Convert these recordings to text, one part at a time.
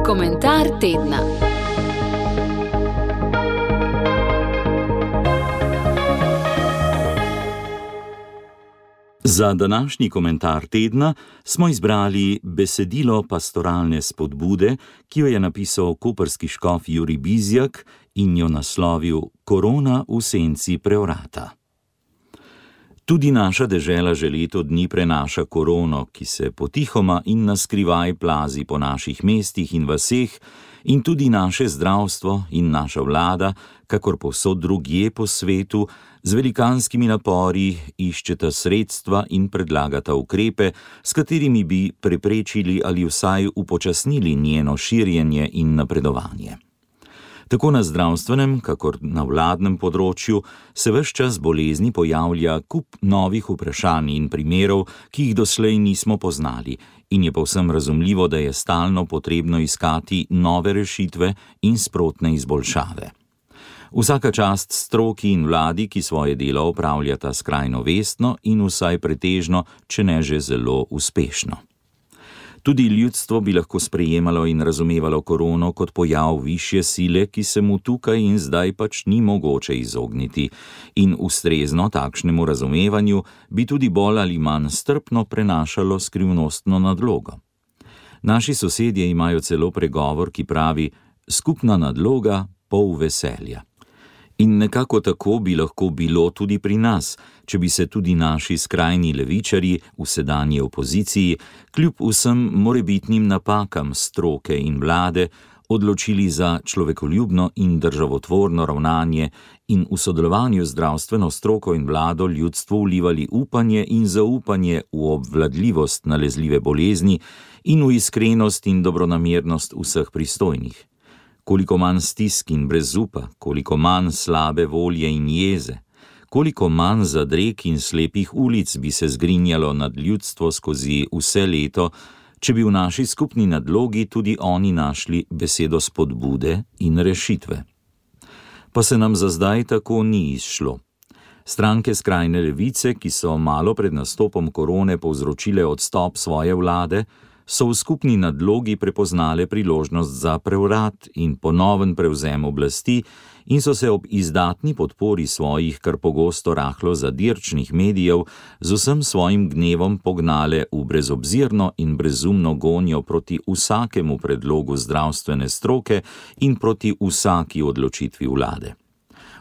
Komentar tedna. Za današnji komentar tedna smo izbrali besedilo pastoralne spodbude, ki jo je napisal koprski škof Jurij Bizjak in jo naslovil Korona v senci prevrata. Tudi naša dežela že leto dni prenaša korono, ki se potihoma in naskrivaj plazi po naših mestih in vaseh, in tudi naše zdravstvo in naša vlada, kakor povsod drugje po svetu, z velikanskimi napori iščeta sredstva in predlagata ukrepe, s katerimi bi preprečili ali vsaj upočasnili njeno širjenje in napredovanje. Tako na zdravstvenem, kakor na vladnem področju se ves čas bolezni pojavlja kup novih vprašanj in primerov, ki jih doslej nismo poznali, in je povsem razumljivo, da je stalno potrebno iskati nove rešitve in sprotne izboljšave. Vsaka čast stroki in vladi, ki svoje delo opravljata skrajno vestno in vsaj pretežno, če ne že zelo uspešno. Tudi ljudstvo bi lahko sprejemalo in razumevalo korono kot pojav višje sile, ki se mu tukaj in zdaj pač ni mogoče izogniti, in ustrezno takšnemu razumevanju bi tudi bolj ali manj strpno prenašalo skrivnostno nadlogo. Naši sosedje imajo celo pregovor, ki pravi: skupna nadloga, pol veselja. In nekako tako bi lahko bilo tudi pri nas, če bi se tudi naši skrajni levičarji v sedanji opoziciji kljub vsem morebitnim napakam stroke in vlade odločili za človekoljubno in državotvorno ravnanje in v sodelovanju z zdravstveno stroko in vlado ljudstvu vlivali upanje in zaupanje v obvladljivost nalezljive bolezni in v iskrenost in dobronamernost vseh pristojnih. Koliko manj stisk in brezupa, koliko manj slabe volje in jeze, koliko manj zadreg in slepih ulic bi se zgrinjalo nad ljudstvo skozi vse leto, če bi v naši skupni nadlogi tudi oni našli besedo spodbude in rešitve. Pa se nam za zdaj tako ni izšlo. Stranke skrajne levice, ki so malo pred nastopom korone povzročile odstop svoje vlade, so v skupni nadlogi prepoznale priložnost za prevrat in ponoven prevzem oblasti in so se ob izdatni podpori svojih kar pogosto rahlo zadirčnih medijev z vsem svojim gnevom pognale v brezobzirno in brezumno gonjo proti vsakemu predlogu zdravstvene stroke in proti vsaki odločitvi vlade.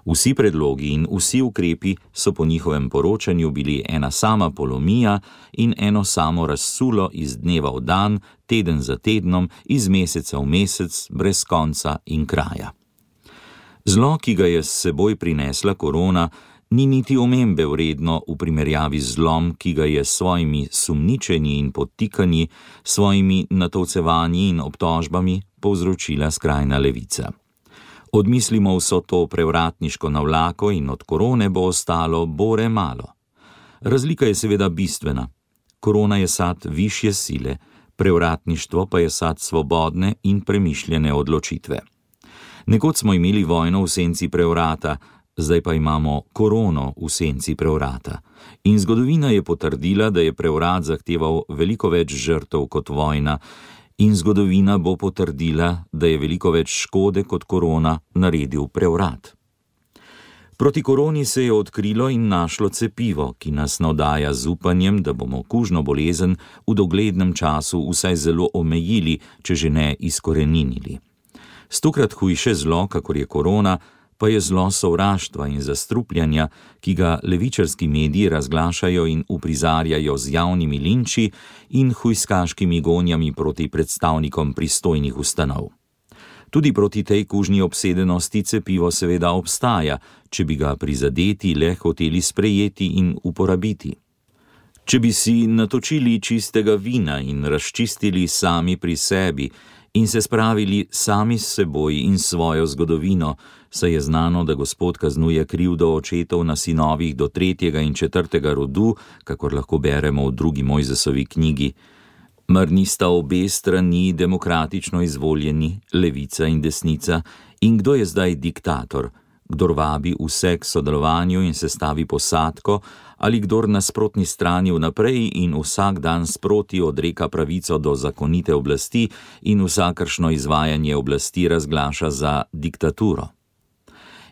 Vsi predlogi in vsi ukrepi so po njihovem poročanju bili ena sama polomija in eno samo razsulo iz dneva v dan, teden za tednom, iz meseca v mesec, brez konca in kraja. Zlo, ki ga je s seboj prinesla korona, ni niti omembe vredno v primerjavi z zlom, ki ga je s svojimi sumničenji in podtikanji, svojimi natovcevanji in obtožbami povzročila skrajna levica. Odmislimo vso to prevratniško navlako in od korone bo ostalo bore malo. Razlika je seveda bistvena. Korona je sad višje sile, prevratništvo pa je sad svobodne in premišljene odločitve. Nekoč smo imeli vojno v senci prevrata, zdaj pa imamo korono v senci prevrata. In zgodovina je potrdila, da je prevrat zahteval veliko več žrtev kot vojna, in zgodovina bo potrdila, da je veliko več škode kot korona naredil prevrat. Proti koroni se je odkrilo in našlo cepivo, ki nas navdaja z upanjem, da bomo kužno bolezen v doglednem času vsaj zelo omejili, če že ne izkoreninili. Stokrat hujše zlo, kakor je korona, pa je zlo sovraštva in zastrupljanja, ki ga levičarski mediji razglašajo in uprizarjajo z javnimi linči in hujskaškimi gonjami proti predstavnikom pristojnih ustanov. Tudi proti tej kužni obsedenosti cepivo seveda obstaja, če bi ga prizadeti le hoteli sprejeti in uporabiti. Če bi si natočili čistega vina in razčistili sami pri sebi in se spravili sami s seboj in svojo zgodovino, saj je znano, da Gospod kaznuje krivdo očetov na sinovih do 3. in 4. rodu, kakor lahko beremo v 2. Mojzesovi knjigi. Mar nista obe strani demokratično izvoljeni, levica in desnica, in kdo je zdaj diktator? kdor vabi vse k sodelovanju in sestavi posadko, ali kdor na sprotni strani vnaprej in vsak dan sproti odreka pravico do zakonite oblasti in vsakršno izvajanje oblasti razglaša za diktaturo.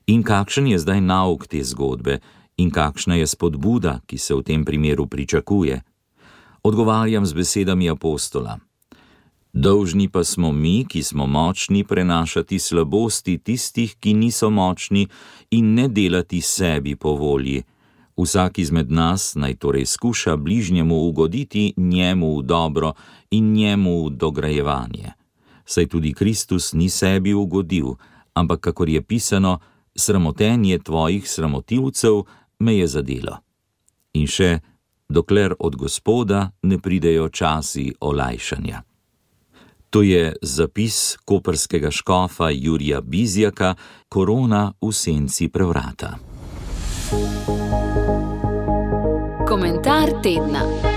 In kakšen je zdaj nauk te zgodbe in kakšna je spodbuda, ki se v tem primeru pričakuje? Odgovarjam z besedami apostola. Dolžni pa smo mi, ki smo močni, prenašati slabosti tistih, ki niso močni, in ne delati sebi po volji. Vsak izmed nas naj torej skuša bližnjemu ugoditi njemu v dobro in njemu v dograjevanje. Saj tudi Kristus ni sebi ugodil, ampak kakor je pisano, sramotenje tvojih sramotilcev me je zadelo. In še, dokler od Gospoda ne pridejo časi olajšanja. To je zapis koprskega škofa Jurija Bizjaka, Korona v senci prevrata. Komentar tedna.